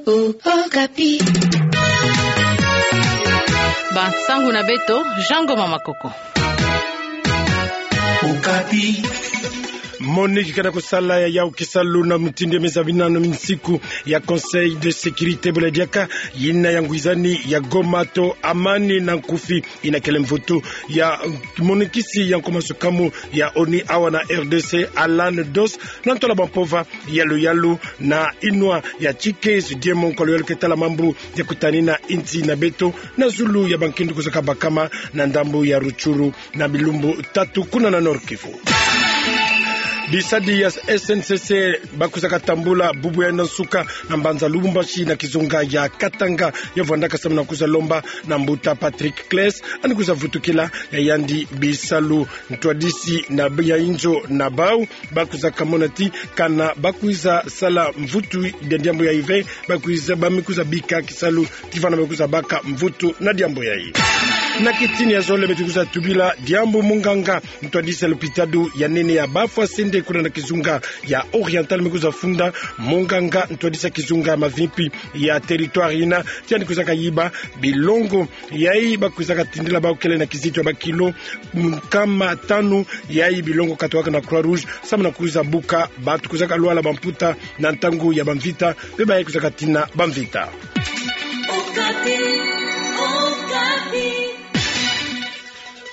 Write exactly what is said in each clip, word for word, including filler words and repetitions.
Okapi. Bansangu na beto, Jean Ngoma Makoko. Okapi. MONUC ke na kusala ya yawu kisalu na mutindu ya meza minano minsiku ya Conseil de sécurité bula diaka yina ya ngwizani ya Goma to amani na nkufi. Yina kele mvutu ya monukisi ya nkoma sukamu ya ONU awa na R D C, Alan Dos, na ntwala bwa mpova yalu yalu na inwa ya Tshikezi Diemo, nkwalu yalu ke tala mambu ya kutanina insi na beto na zulu ya bankindu kuzaka bakama na ndambu ya Rutshuru na bilumbu tatu kuna na Nord-Kivu. Bisadi ya S N C C ba kuzaka tambula bubu ya nsuka na mbanza Lubumbashi na kizunga ya Katanga, ya vwandaka samu na kuza lomba na mbuta Patrick Cleis, ani kuza vutukila ya yandi bisalu. Ntwadisi na ya inzo na bau ba kuzaka mona ti kana ba kwiza sala mvutu ya diambu yayi ve, ba kwiza, ba mi kuza bika kisalu ti vana ba kwiza baka mvutu na diambu yayi. Na kitini ya zole beto kwiza tubila diambu munganga ntwadisi ya lopitalo ya nene ya Bafwasende kuna na kizunga ya Oriental mi kuza funda, munganga ntwadisi ya kizunga ya mavimpi ya territoire yina, ti yandi kwizaka yiba bilongo yayi ba kwizaka tindila bau kele na kizito ya bakilo nkama tanu, yayi bilongo katowaka na Croix Rouge samu na kwiza buka bantu kwizaka lwala bamputa na ntangu ya bamvita, mpe bayayi kwizaka tina bamvita. Okapi, Okapi.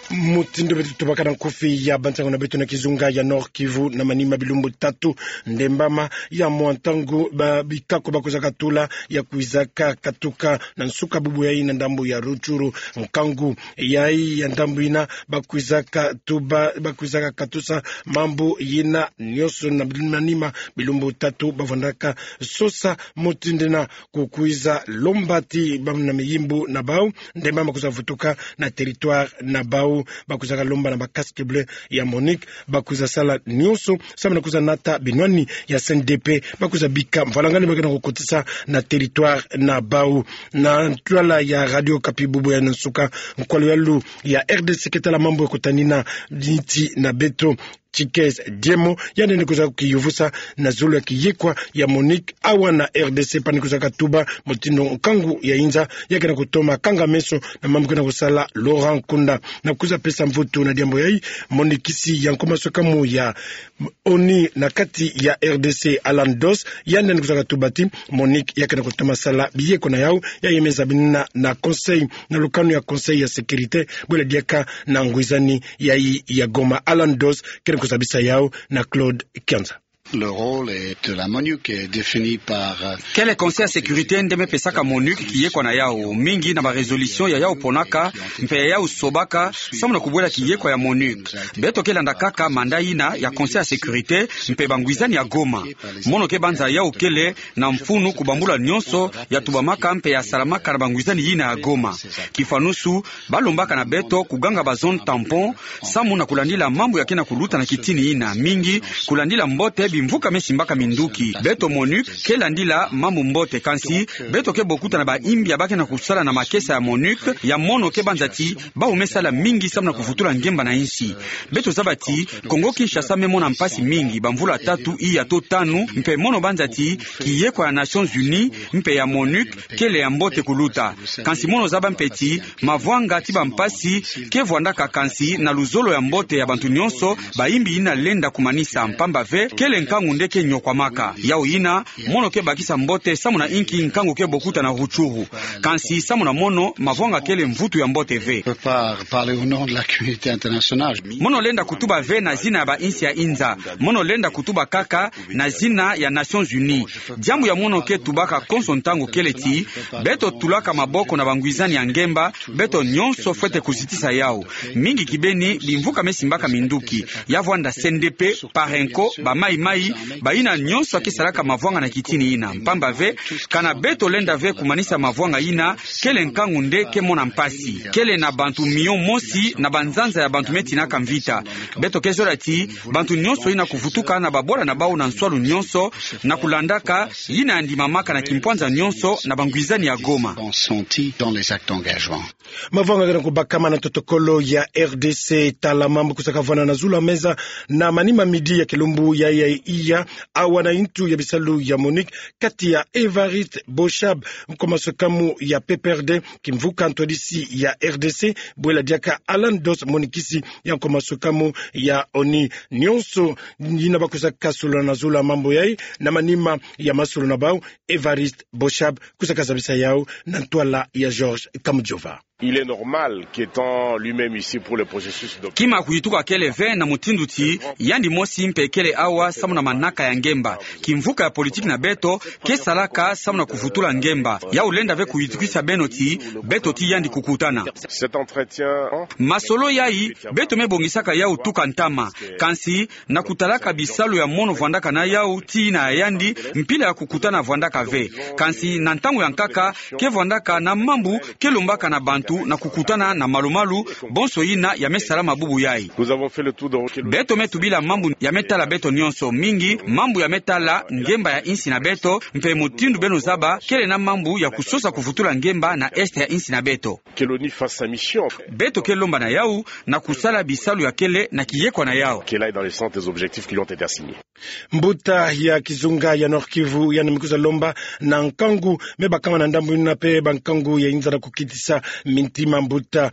Mutindu beto tubaka na nkufi ya bansangu na beto na kizunga ya Nord-Kivu, na manima bilumbu tatu, ndembama ya mwa ntangu ba bikako ba kwizaka tula ya kwizaka katuka na nsuka bubu yayi na ndambu ya Rutshuru. Nkangu yayi ya ndambu yina ba kwizaka tuba, ba kwizaka katusa mambu yina nyonso na manima bilumbu tatu ba vwandaka sosa mutindu yina ku kwiza lomba ti bamona miyimbu na bau, ndembama kwiza vutuka na territoire na bau, ba kwizaka lomba na ba casques bleus ya MONUC ba kwiza sala nyonso samu na kwiza nata binwani ya C N D P, ba kwiza bika mvwalangani ba kena kukotisa na territoire na bau. Na ntwala ya Radio Okapi bubu ya nsuka, nkwalu yalu ya R D C ke tala mambu ya kutanina insi na beto, Tshikezi Diemo, yandi ni kwiza kiyuvusa na zulu ya kiyekwa ya MONUC awa na R D C, pani kwizaka tuba mutindu nkangu ya inza ya kena kutoma kanga meso na mambu kena kusala Laurent Nkunda. Na kwiza pesa mvutu na diambu yayi, monukisi ya nkoma sukamu ya ONU na kati ya R D C, Alan Dos, yandi ni kwizaka tuba ti MONUC ya kena kutoma sala biyekwa na yau, ya yemeza binina na Conseil, na lukanu ya Conseil ya Sécurité bwela diaka na ngwizani yayi ya Goma. Alan Dos kena kwiza bisa yau na Claude Kianza. Le rôle est de la MONUC est défini par, euh, Kele Conseil ya Sécurité nde me pesaka MONUC kiyekwa na yau, mingi na ba résolution ya yau ponaka, mpe ya yau sobaka, samu na kubwela kiyekwa ya MONUC. Beto ke landa kaka mandat yina ya Conseil ya Sécurité, mpe bangwizani ya Goma. Mono ke banza yau kele na mfunu kubambula nyonso ya tubamaka mpe ya salamaka na bangwizani yina ya Goma. Kifanusu, ba lombaka na beto kuganga ba zone tampon, samu na kulandila mambu ya kena kuluta na kitini yina, mingi kulandila mbote bimvuka me simbaka minduki. Beto MONUC ke landila mambu mbote, kansi beto ke bokuta na ba imbi ya ba kena kusala na makesa ya MONUC, ya mono ke banza ti bau me sala mingi samu na kuvutula ngemba na insi. Beto zaba ti Congo Kinshasa me mona mpasi mingi bamvula tatu, iya to tanu, mpe mono banza ti kiyekwa ya Nations Unies mpe ya MONUC kele ya mbote kuluta. Kansi mono zaba mpe ti mavwanga ti bampasi ke vwandaka, kansi na luzolo ya mbote ya bantu nyonso, ba imbi yina lenda kumanisa, mpamba ve kele nkangu nde ke nyokwamaka. Yau yina, mono ke bakisa mbote samu na inki nkangu ke bokuta na Rutshuru. Kansi samu na mono, mavwanga kele mvutu ya mbote ve. Peut pas parler au nom de la communauté internationale. Mono lenda kutuba ve na zina ya ba insi ya inza. Mono lenda kutuba kaka na zina ya Nations Unies. Diambu ya mono ke tubaka konso ntangu kele ti, beto tulaka maboko na bangwizani ya ngemba, beto nyonso fwete kuzitisa yau. Mingi kibeni bimvuka me simbaka minduki. Ya vwanda C N D P, Parenco, ba Mai Mai, bayina nyonso ke salaka mavwanga na kitini yina. Mpamba ve, kana beto lenda ve kumanisa mavwanga yina, kele nkangu nde ke mona mpasi. Kele na bantu miliyo mosi na banzanza ya bantu me tinaka mvita. Beto ke zola ti bantu nyonso yina kuvutuka na babola na bau na nswalu nyonso, na kulandaka yina ya ndimamaka na kimpwanza nyonso na bangwizani ya Goma. Sont sentis dans les actes d'engagement. Mavwanga kena kubakama na totokolo ya R D C, tala mambu kusaka vwanda na zulu ya meza na manima midi ya kilumbu ya, ya iya, awa na intu ya bisalu ya MONUC, kati ya Évariste Boshab, nkomasoka mu ya P P R D, kimvuka ntwadisi ya R D C, bwela diaka Alan Doss, monikisi ya nkomasoka mu ya ONU. Nyonso yina bakusaka solola na zulu ya mambu yayi, na manima ya masolo na bau, Évariste Boshab kusaka zabisa yau na ntwala ya Georges Kamujova. Il est normal qu'étant lui-même ici pour le processus de... Kima kuyituka kele ve na mutindu ti yandi mosi mpe kele awa samu na manaka ya ngemba. Kimvuka ya politiki na beto ke salaka samu na kuvutula ngemba. Yau lenda ve kuyitukisa beno ti beto ti yandi kukutana. Cet entretien, hein? Masolo yayi, beto me bongisaka yau tuka ntama. Kansi, na kutalaka bisalu ya mono vwandaka na yau ti yina ya yandi, mpila ya kukutana vwandaka ve. Kansi na ntangu ya nkaka, ke vwandaka na mambu ke lombaka na bantu na kukutana na malu-malu, bonso yina ya me salama bubu yayi. Nous avons fait le tour de... Beto me tubila mambu ya me tala beto nyonso, mingi mambu ya me tala ngemba ya insi na beto, mpe mutindu beno zaba, kele na mambu ya kusosa kuvutula ngemba na est ya insi na beto. Que l'ONU fasse sa mission. Beto ke lomba na yau na kusala bisalu ya kele na kiyekwa na yau. Qu'elle aille dans le sens des objectifs qui lui ont été assignés. Mbuta ya kizunga ya Nord-Kivu yandi me kwiza lomba na nkangu me bakama na ndambu yina mpe bankangu ya inza na kukitisa mintima. Mbuta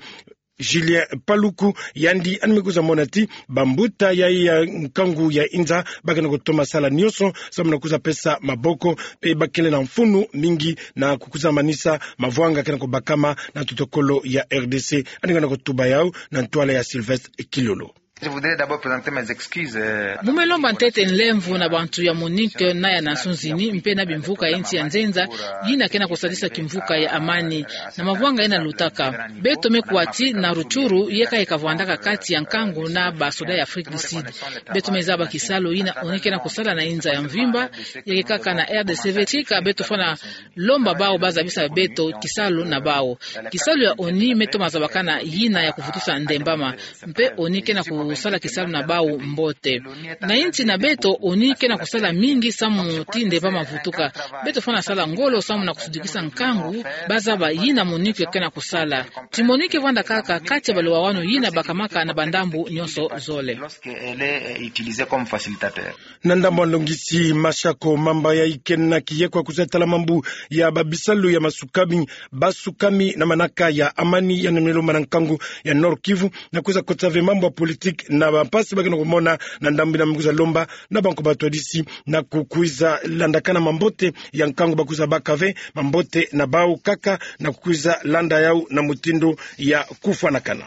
Julien Paluku, yandi yandi me kwiza mona ti bambuta yayi ya nkangu ya inza ba ke na kutoma sala nyonso samu na kwiza pesa maboko, mpe ba kele na mfunu mingi na kukwiza manisa mavwanga ke na kubakama na ntotokolo ya R D C. Yandi ke na kutuba yau na ntwala ya Sylvestre Kilolo. Je voudrais d'abord présenter mes excuses, euh, à... Mu me lomba ntete nlemvo na bantu ya MONUC na ya Nations Unies, mpe na bimvuka ya insi ya nzenza yina ke na kusadisa kimvuka ya amani na mavwanga yina lutaka. Beto me kuwa ti na Rutshuru, yeka yeka vwandaka kati ya nkangu na basoda ya Afrique du Sud. Beto me zaba kisalu yina ONU ke na kusala na inza ya mvimba, yeka kaka na R D C ve. Tika beto fwana lomba bau ba zabisa beto kisalu na bau. Kisalu ya ONU me toma zabakana yina ya kuvutusa ndembama. Mpe ONU ke na kusala kisalu na bau mbote. Na insi na beto, ONU ke na kusala mingi samu ti ndembama vutuka. Beto fwana sala ngolo samu na kusudikisa nkangu ba zaba yina MONUC ke na kusala. Ti MONUC ke vwanda kaka kati ya baliwawanu yina bakamaka na bandambu nyonso zole. Lorsqu'elle est, euh, utilisée comme facilitateur. Na ndambu ya longisi Mashako Mamba yayi ke na kiyekwa kwiza tala mambu ya babisalu ya masukami, basukami na manaka ya amani, yandi me lomba na nkangu ya Nord-Kivu na kwiza kotisa ve mambu ya politiki na bampasi ba ke na kumona na ndambu yina. Me kwiza lomba na bantu batwadisi na kukwiza landakana mambote ya nkangu ba kwiza baka ve, mambote na bau kaka na kukwiza landa yau na mutindu ya kufwanakana.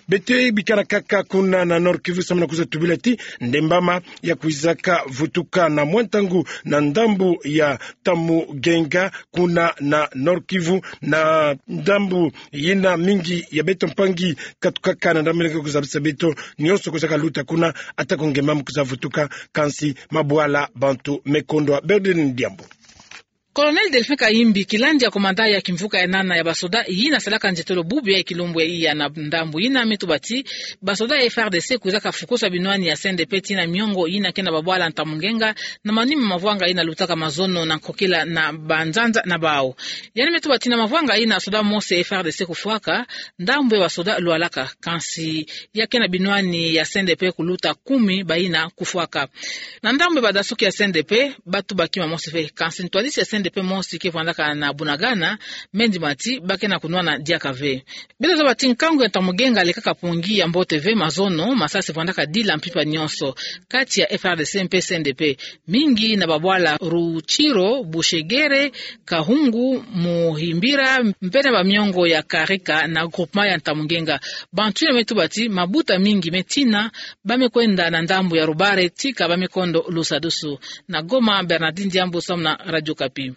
Beto bikana kaka kuna na Nord-Kivu samu na kwiza tubila ti ndembama ya kwizaka vutuka na mwa ntangu na ndambu ya Tamugenga kuna na Nord-Kivu, na ndambu yina mingi ya beto mpangi katukaka na ndambu yina ke kuzabisa beto nyonso kwizaka luta kuna, ata ko ngemba me kwiza vutuka, kansi mabwala bantu me kondwa. Berdine Diambu. Colonel Delphin Kayimbi, kilandi ya commandant ya kimvuka ya nana ya basoda yina salaka nzietolo bubu ya kilumbu ya iya na ndambu yina, me tuba ti basoda ya F R D C kwizaka fukusa binwani ya C N D P tii na miongo yina ke na babwala Ntamungenga, na manima mavwanga yina lutaka mazono na nkokila na banzanza na bau. Yandi me tuba ti na mavwanga yina soda mosi ya F R D C kufwaka, ndambu ya basoda lwalaka, kansi ya ke na binwani ya C N D P kuluta kumi bayina kufwaka. Na ndambu ya badasuki ya C N D P, ba tuba kima mosi ve, kansi ntwadisi ya C N D P mosi ke vwandaka na Bunagana, me ndima ti ba ke na kunwana diaka ve. Beto zaba ti nkangu ya Ntamugenga lekaka pongi ya mbote ve, mazono, masasi vwandaka dila mpimpa nyonso kati ya F R D C mpe C N D P, mingi na babwala Rutshuru, Bushekere, Kahungu, Muhimbira, mpe na bamiongo ya Karika na groupement ya Ntamugenga. Bantu yina me tuba ti mabuta mingi me tina, ba me kwenda na ndambu ya Rubare, tika ba me kondo Lusadusu. Na Goma, Bernardine Diambu samu na Radio Okapi.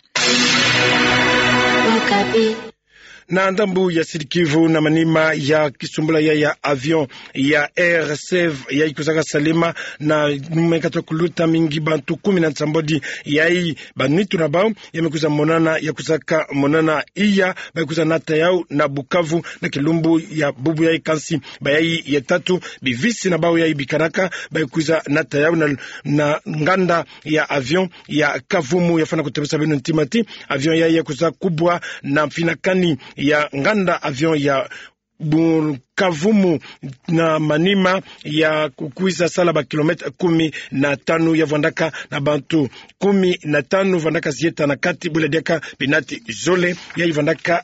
Na ndambu ya Sud-Kivu, na manima ya kisumbula ya, ya avion ya Air Save yayi kwizaka salema na mekata kuluta mingi bantu kumi na nsambwadi yayi, banitu na bau ya me kwiza monana, ya kwizaka monana iya, ba kwiza nata yau na Bukavu na kilumbu ya bubu yayi, kansi bayayi ya tatu, bivisi na bau yayi bikanaka, ba kwiza nata yau na, na nganda ya avion ya Kavumu. Ya fwana kutebesa beno ntima ti avion yayi ya kwiza kubwa na mfinakani ya nganda avion ya Bukavu mu na Maniema ya kukwiza sala ba kilomètre kumi na tanu, ya vwandaka na bantu kumi na tanu vwandaka zieta na kati, bula diaka binati zole, ya yi vwandaka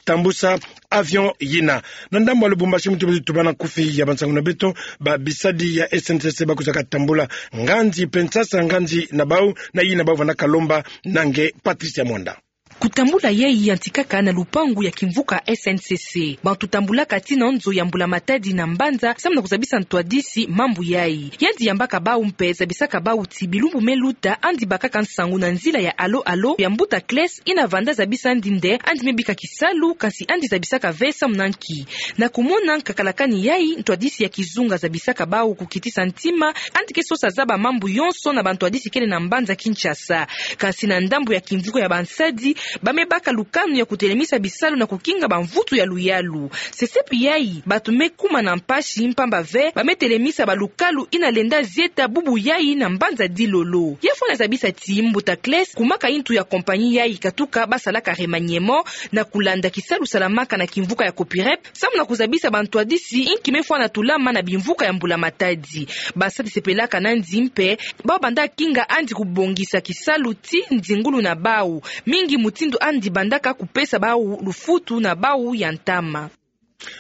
tambusa avion yina. Na ndambu ya Lubumbashi, mutu beto tubana nkufi ya bansangu na beto, ba bisadi ya S N C C bakwizaka tambula nganzi mpe nsasa nganzi na bau, na yina bau vwandaka lomba na nge Patricia Mwanda. Kutambula yayi yantikaka na lupangu ya kimvuka S N C C. Bantu tambulaka tii na nzo ya Mbula Matadi na mbanza, samu na kuzabisa ntwadisi mambu yayi. Yandi yambaka bau mpe zabisaka bau ti bilumbu me luta, yandi bakaka nsangu na nzila ya Allo Allo ya mbuta Clès, yina vanda zabisa yandi nde yandi me bika kisalu, kansi yandi zabisaka ve samu na nki. Na kumona nkakalakani yayi, ntwadisi ya kizunga zabisaka bau kukitisa ntima, yandi ke sosa zaba mambu yonso na bantwadisi kele na mbanza Kinshasa. Kansi na ndambu ya kimvuka ya bansadi, ba me baka lukanu ya kutelemisa bisalu na kukinga bamvutu ya luyalu. Sesepi yayi, bantu me kuma na mpasi mpamba ve ba me telemisa balukalu yina lenda zieta bubu yayi na mbanza Dilolo. Ya fwana zabisa ti mbuta Clès, kumaka yintu ya compagnie yayi katuka ba salaka remaniement, na kulanda kisalu salamaka na kimvuka ya Copirep, samu na kuzabisa bantwadisi inki me fwana tulama na bimvuka ya Mbula Matadi. Basadi sepelaka na yandi mpe, bau banda kinga yandi kubongisa kisalu ti nzingulu na bau, mingi mutindu yandi bandaka kupesa bau lufutu na bau ya ntama.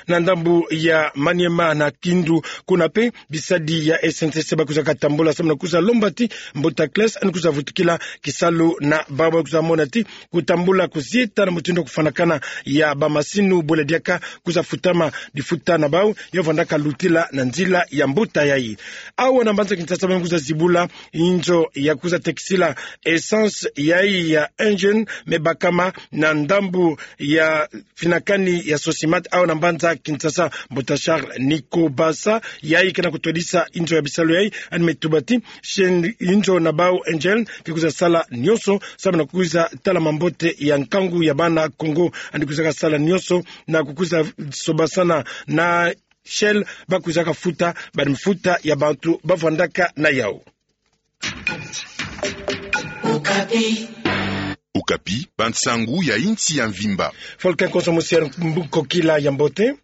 Na ndambu ya Maniema na Kindu, kuna mpe bisadi ya S N C C bakwizaka tambula samu na kwiza lomba ti mbuta Clès yandi kwiza vutukila kisalu na bau. Bakwiza mona ti kutambula kuzieta na mutindu ya kufwanakana ya bamasinu, bula diaka kwiza futama difuta na bau, ya vwandaka lutila na nzila ya mbuta yayi. Awa na mbanza Kinshasa, ba me kwiza zibula inzo ya kwiza tekisila essence yayi ya Engen, me bakama na ndambu ya finakani ya Sosimat, awa na mbanza Kinshasa. Mbuta Charles Nikobasa, yayi ke na kutwadisa inzo ya bisalu yayi, yandi me tuba ti, shen inzo na bau Engen ke kwiza sala nionso samu na kwiza tala mambote ya nkangu ya bana Kongo. Yandi kwizaka sala nionso na kukwiza sobasana na Shell, bakwizaka futa bamfuta ya bantu bavwandaka na yau. Okapi, bansangu ya insi ya mvimba. Volcan Konso Musier, mbu-, kokila ya mbote.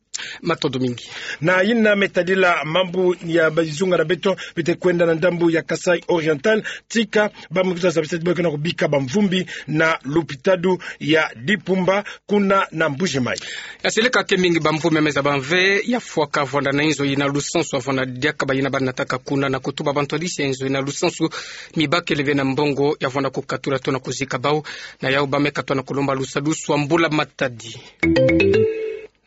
Matondo mingi. Na yina me tadila mambu ya bizunga na beto bete kwenda na ndambu ya Kasaï Oriental, tika ba me kwiza zabisa ti ba ke na kubika bamvumbi na lupitalu ya Dipumba, kuna na Mbuji-Mayi. Ya seleka ke mingi bamvumbi ya me zaba ve ya fwaka vwanda na inzo yina lusansu ya vwanda diaka bayina ba nataka kuna, na kutuba bantwadisi ya inzo yina lusansu, mi bakele ve na mbongo ya vwanda kukatula to na kuzika bau. Na yau ba me katwa na kulomba lusadusu ya Mbula Matadi.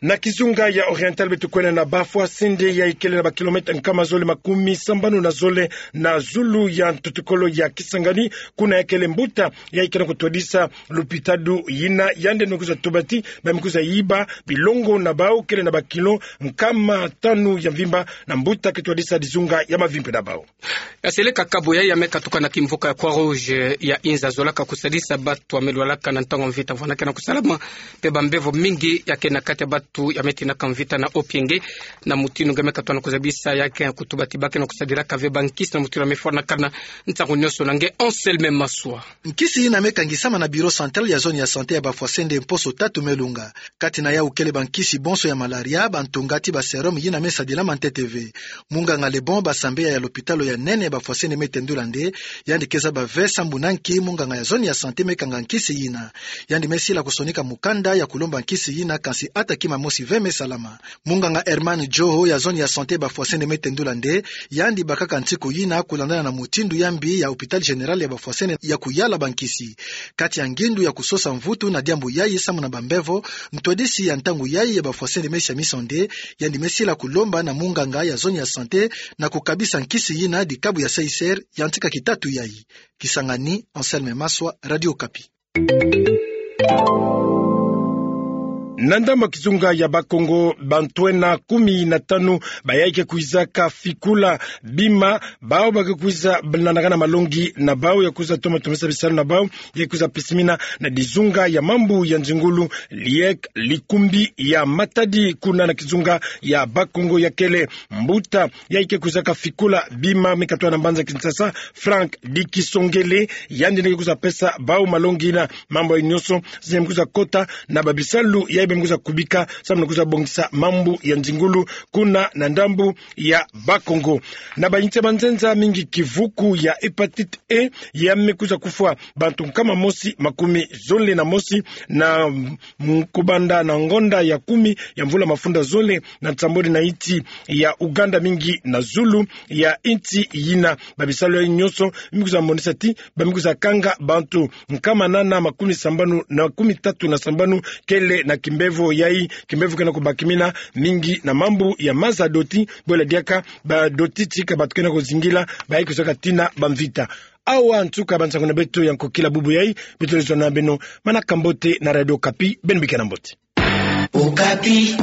Na kizunga ya Oriental beto kwenda na Bafwasende, yayi kele na ba kilomètre nkama zole makumi sambanu na zole na zulu ya ntoto-kolo ya Kisangani, kuna ya kele mbuta yayi ke na kutwadisa lupitalu yina, yandi me kwiza tuba ti ba me kwiza yiba bilongo na bau kele na ba kilo nkama tanu ya mvimba, na mbuta ke twadisa dizunga ya mavimpi na bau. Ya seleka kabu yayi ya me katuka na kimvuka ya Croix-Rouge ya inza zolaka kusadisa batu ya me lwalaka na ntangu ya mvita, vwanda ke na kusalama mpe bambevo mingi ya ke na kati ya batu ya me tinaka mvita na Opienge. Na mutindu nge me katwa na kuzabisa, ya ke kutuba ti ba ke na kusadilaka ve bankisi na mutindu ya me fwanakana ntangu nionso. Na nge Anselme Maswa. Nkisi yina me kangisama na Bureau Central ya Zone ya Santé ya Bafwasende mposo tatu me lunga. Kati na yau kele bankisi bonso ya malaria, bantunga ti ba sérum yina me sadilama ntete ve. Munganga Lebon Basambeya ya lopitalo ya nene ya Bafwasende me tendula nde yandi ke zaba ve sambu na nki munganga ya zone ya santé me kanga nkisi yina. Yandi me sila kusonika mukanda ya kulomba nkisi yina, kansi ata kima mosi ve me salama. Munganga Herman Joho ya zone ya santé Bafwasende me tendula nde yandi bakaka nsiku yina kulandana na mutindu ya mbi ya hôpital général ya Bafwasende ya kuyala bankisi. Kati ya ngindu ya kusosa mvutu na diambu yayi samu na bambevo, ntwadisi ya ntangu yayi ya Bafwasende me siamisa nde yandi me sila kulomba na munganga ya zone ya santé na kukabisa nkisi yina dikabu ya C I C R ya ntika kitatu yayi. Kisangani, Anselme Maswa, Radio Okapi. Na ndambu ya kizunga ya Bakongo, bantwenia kumi na tanu bayayi ke kwizaka fikula bima, bau ba ke kwiza landakana malongi na bau ya kwiza toma tomesa bisalu na bau, ya kwiza pisimina na dizunga ya mambu ya nzingulu, liek likumbi ya Matadi, kuna na kizunga ya Bakongo. Ya kele mbuta yayi ke kwizaka fikula bima me katwa na mbanza Kinshasa, Franck Dikisongele, yandi nde ke kwiza pesa bau malongi na mambu yayi nionso, zina me kwiza kota na babisalu ya Beno me kwiza kubika samu na kwiza bongisa mambu ya nzingulu kuna na ndambu ya Bas-Congo. Na bainsi ya manzenza mingi, kivuku ya hépatite E ya me kwiza kufwa bantu nkama mosi makumi zole na mosi na, mm, kubanda na ngonda ya kumi ya mvula mafunda zole na nsambwadi na insi ya Ouganda mingi na zulu ya insi yina. Babisalu yai nyonso me kwiza monisa ti ba me kwiza kanga bantu nkama nana makumi sambanu na makumi tatu na sambanu kele na kimbevo yai, kimbevo ke na kubakimina mingi na mambu ya maza doti, bwela diaka badoti tika bato ke na kuzingila, baye kwiza katina bamvita. Awa nsuka bansangu na beto ya nkokila bubu yai. Beto lenda zona beno manaka mbote na Radio Okapi, beno bika na mbote. Okapi.